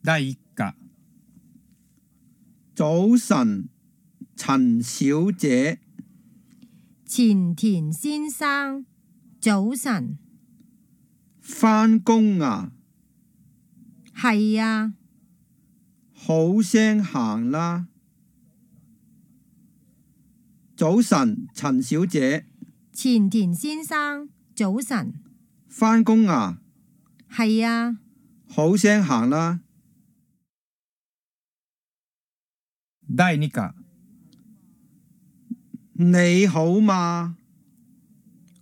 第一課。早晨，陳小姐。前田先生，早晨。返工啊？係啊。好聲行啦。早晨，陳小姐。前田先生，早晨。返工啊？係啊。好聲行啦。第二課。你好嘛？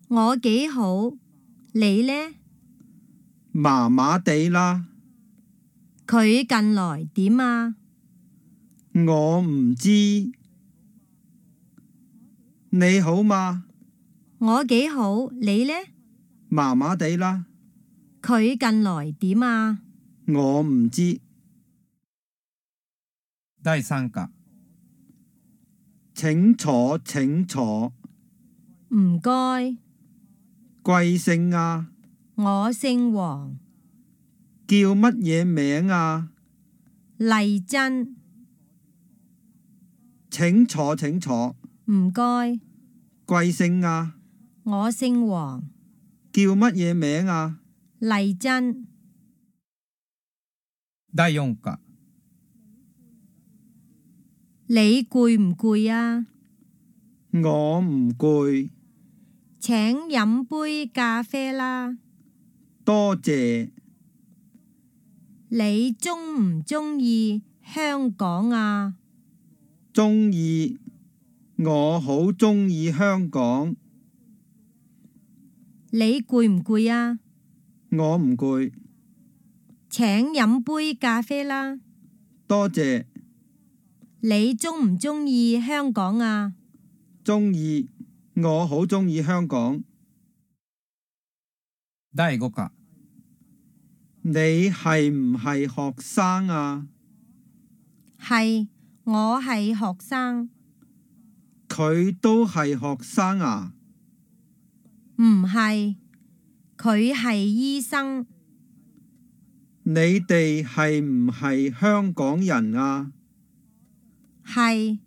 我幾好，你呢？麻麻地啦。佢近來點啊？我唔知。你好嘛？我幾好，你呢？麻麻地啦。佢近來點啊？我唔知。第三課。請坐，請坐。唔該。貴姓啊？我姓黃。叫乜嘢名啊？麗珍。請坐，請坐。唔該。貴姓啊？我姓黃。叫乜嘢名啊？麗珍。第四課。你攰唔攰啊？我唔攰。請飲杯咖啡啦。多謝。你鍾唔鍾意香港啊？鍾意。我好鍾意香港。你攰唔攰啊？我唔攰。請飲杯咖啡啦。多謝。你鍾唔鍾意香港啊？鍾意。我好鍾意香港。第五課。你係唔係學生啊？係，我係學生。佢都係學生啊？唔係，佢係醫生。你哋係唔係香港人啊？係，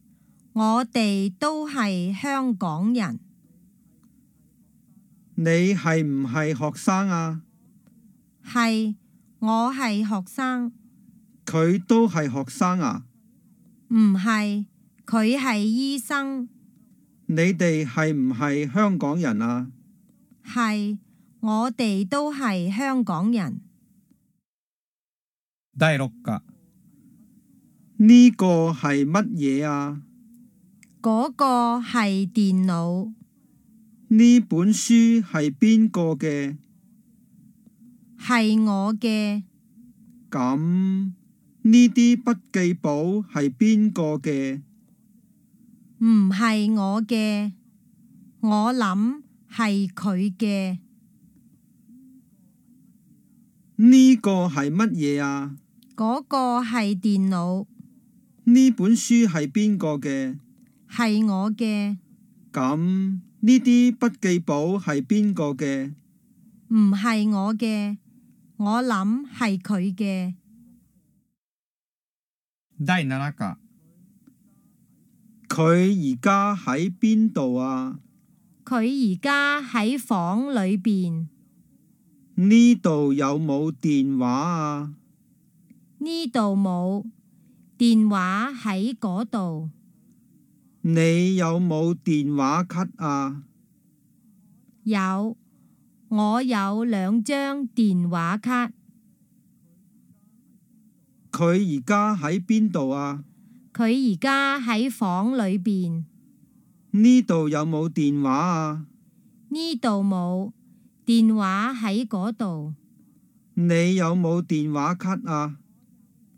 我哋都係香港人。你係唔係學生啊？係，我係學生。佢都係學生啊？唔係，佢係醫生。你哋係唔係香港人啊？係，我哋都係香港人。第六課。呢個係乜嘢啊？嗰個係電腦。呢本書係邊個嘅？係我嘅。咁呢啲筆記簿係邊個嘅？唔係我嘅，我諗係佢嘅。呢個係乜嘢啊？嗰個係電腦。呢本書係邊個嘅？係我嘅。咁呢啲筆記簿係邊個嘅？唔係我嘅，我諗係佢嘅。第七課。佢而家喺邊度啊？佢而家喺房裏邊。呢度有冇電話啊？呢度冇，電話喺嗰度。你有冇電話卡啊？有，我有2張電話卡。佢而家喺邊度啊？佢而家喺房裏邊。呢度有冇電話啊？呢度冇，電話喺嗰度。你有冇電話卡啊？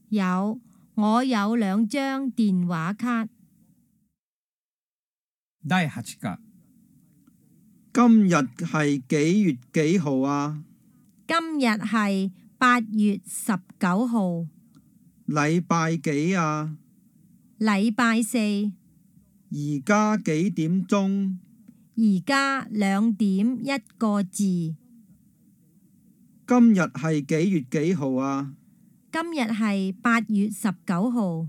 有，我有2張電話卡。第八課。今日係幾月幾號啊？今日係8月19號。禮拜幾啊？禮拜4。而家幾點鐘？而家2點1個字。今日係幾月幾號啊？今日係8月19號，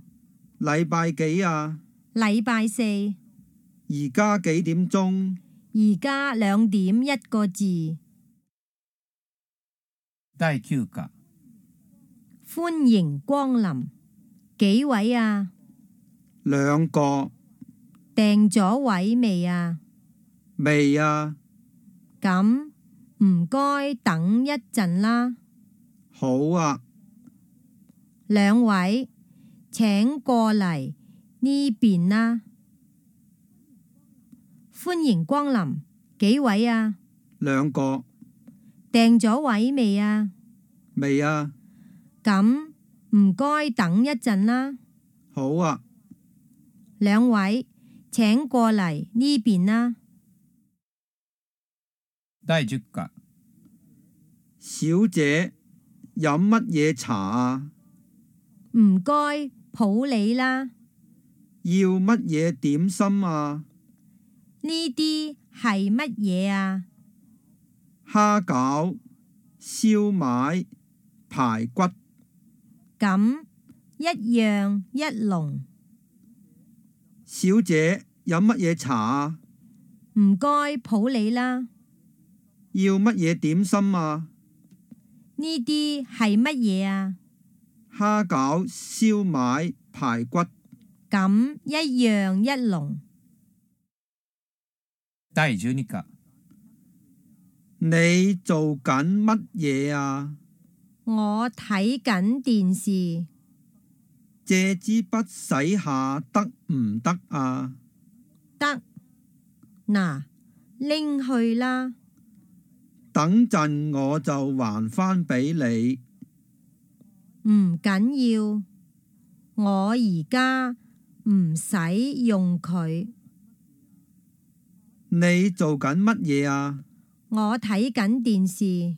禮拜幾啊？禮拜四。而家幾點鐘？而家2點1個字。第9課。歡迎光臨。幾位啊？兩個。訂咗位未啊？未啊。咁唔該等一陣啦。好啊。兩位請過嚟呢邊啦。歡迎光臨。幾位啊？兩個。訂咗位未啊？未啊。咁唔該等一陣啦。好啊。兩位請過嚟呢邊啦。第10課。小姐，飲乜嘢茶啊？唔該普洱啦。要乜嘢點心啊？呢啲係乜嘢啊？蝦餃、燒賣、排骨。咁一樣一籠。小姐，飲乜嘢茶啊？唔該普洱啦。要乜嘢點心啊？呢啲係乜嘢啊？蝦餃、燒賣、排骨。咁一樣一籠。第12課。你做緊乜嘢啊？我睇緊電視。借支筆洗下得唔得啊？得。嗱，拎去啦。等陣我就還返俾你。唔緊要，我而家唔使用佢。你做緊乜嘢啊？我睇緊電視。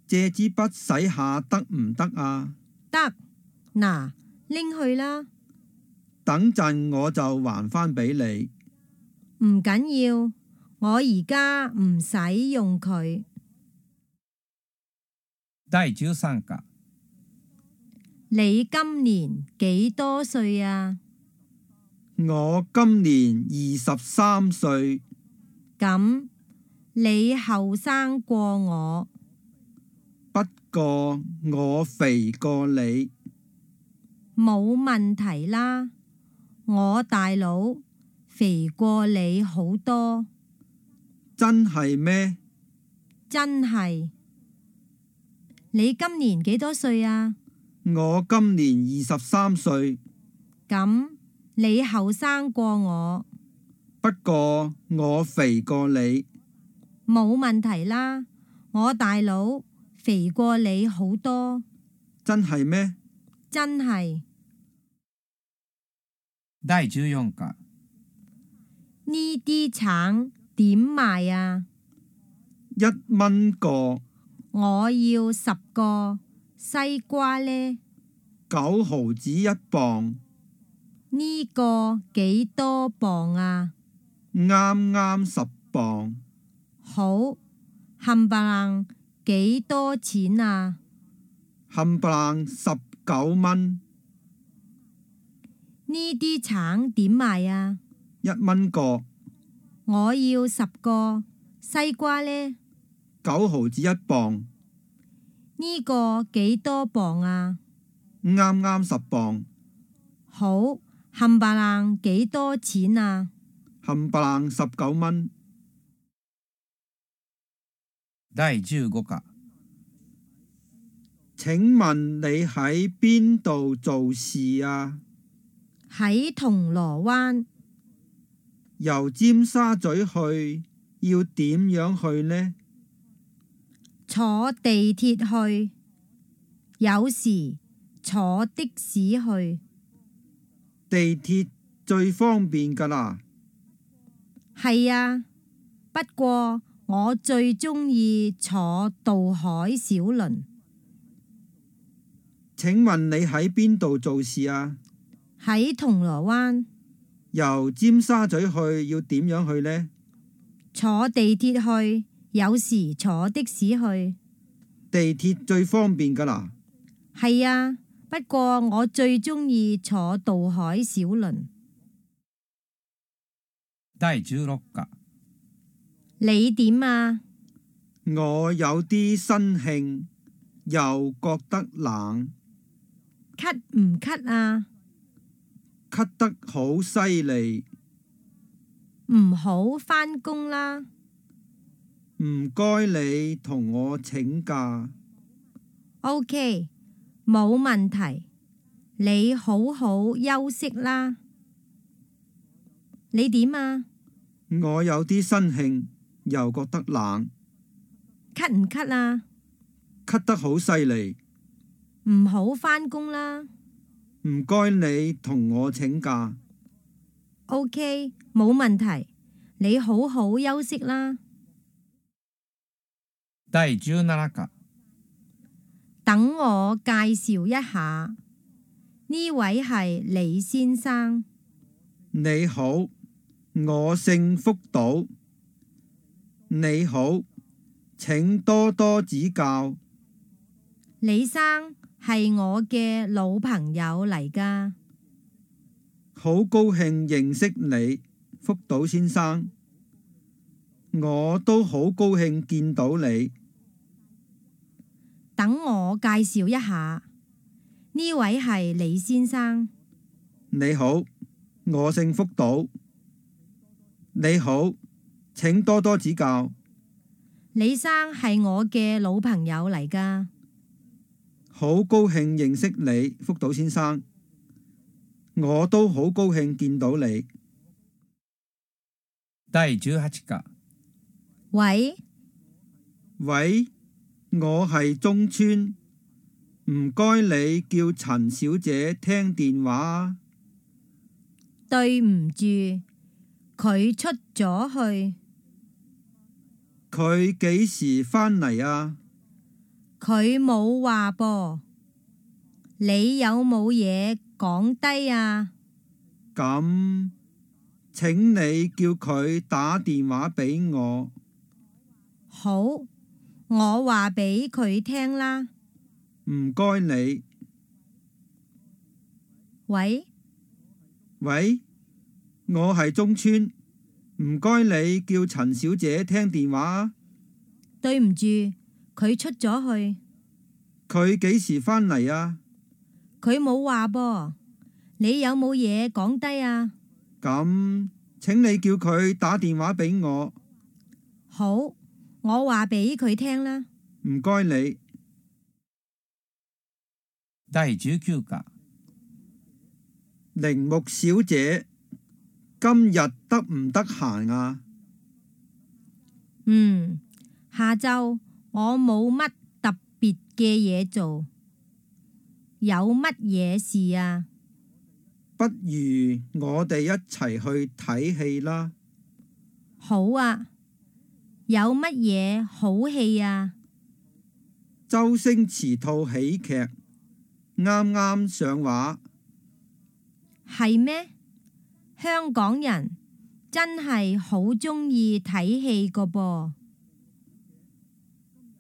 借支筆洗下得唔得啊？得。嗱，拎去啦。等陣我就還返俾你。唔緊要，我而家唔使用佢。第13課。你今年幾多歲啊？我今年23歲。咁你後生過我。不過我肥過你。冇問題啦，我大佬肥過你好多。真係咩？真係。你今年幾多歲啊？我今年23歲。咁你後生過我。不過我肥過你。冇問題啦，我大佬肥過你好多。真係咩？真係。第14課。呢啲橙點賣啊1蚊個。我要10個。西瓜呢9毫子1磅。呢個幾多磅啊？啱啱10磅。好，冚唪唥幾多錢啊？冚唪唥19蚊。呢啲橙點賣啊？1蚊個。我要10個。西瓜呢9毫子1磅。呢個幾多磅啊？啱啱10磅。好，冚唪唥幾多錢啊？冚唪唥19蚊。第15課。請問你喺邊度做事啊？喺銅鑼灣。由尖沙咀去要點樣去呢？坐地鐵去，有時坐的士去。地鐵最方便㗎啦。係啊，不過我最鍾意坐渡海小輪。請問你喺邊度做事啊？喺銅鑼灣。由尖沙咀去要點樣去呢？坐地鐵去，有時坐的士去。地鐵最方便㗎啦。係啊，不過我最鍾意坐渡海小輪。第16課。你點啊？我有啲身興，又覺得冷，咳唔咳啊？咳得好犀利，唔好返工啦。唔該你同我請假。OK，冇問題。你好好休息啦。你點啊？我有啲身興，又覺得冷，咳唔咳啊？咳得好犀利，唔好返工啦。唔該你同我請假。OK，冇問題。你好好休息啦。第17課。等我介紹一下，呢位係李先生。你好，我姓福島。你好，請多多指教。李生係我嘅老朋友嚟㗎。好高興認識你，福島先生。我都好高興見到你。等我介紹一下，呢位係李先生。你好，我姓福島。你好，請多多指教。李生係我嘅老朋友嚟㗎。好高興認識你，福島先生。我都好高興見到你。第18課。喂，喂，我係中村，唔該你叫陳小姐聽電話啊。對唔住，佢出咗去。佢幾時返嚟啊？佢冇話噃。你有冇嘢講低啊？咁，請你叫佢打電話俾我。好，我話俾佢聽啦。唔該你。喂，喂，我係中村，唔該你叫陳小姐聽電話啊。對唔住，佢出咗去。佢幾時返嚟啊？佢冇話噃。你有冇嘢講低啊？咁，請你叫佢打電話俾我。好，我話俾佢聽啦。唔該你。第19課。鈴木小姐，今日得唔得閒啊？下晝我冇乜特別嘅嘢做。有乜嘢事啊？不如我哋一齊去睇戲啦。好啊。有乜嘢好戲啊？周星馳套喜劇啱啱上畫。係咩？香港人真係好鍾意睇戲個噃。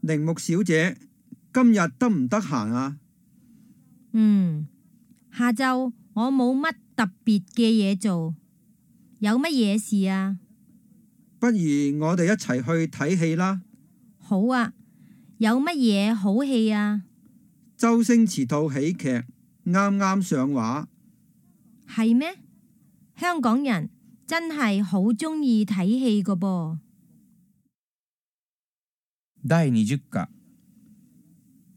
鈴木小姐，今日得唔得閒啊？下晝我冇乜特別嘅嘢做。有乜嘢事啊？不如我哋一齊去睇戲啦。好啊。有乜嘢好戲啊？周星馳套喜劇啱啱上畫。係咩？香港人真係好鍾意睇戲個噃。第20課。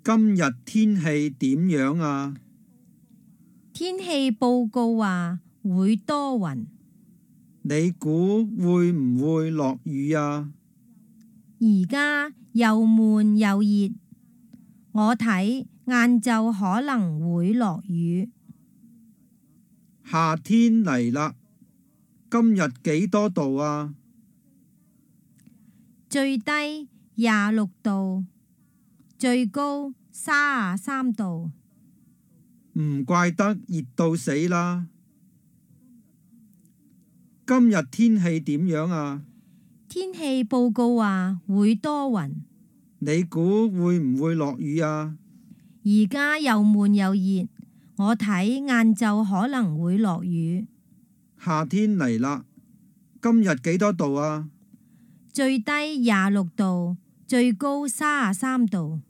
今日天氣點樣啊？天氣報告話會多雲。你估會唔會落雨啊？而家又悶又熱，我睇晏晝可能會落雨。夏天嚟啦，今日幾多度啊？最低26度，最高33度。唔怪得熱到死啦。今日天氣點樣啊？天氣報告話會多雲。你估會唔會落雨啊？而家又悶又熱，我睇晏晝可能會落雨。夏天嚟啦，今日幾多度啊？最低26度，最高33度。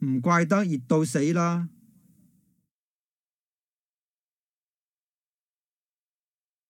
唔怪得熱到死啦。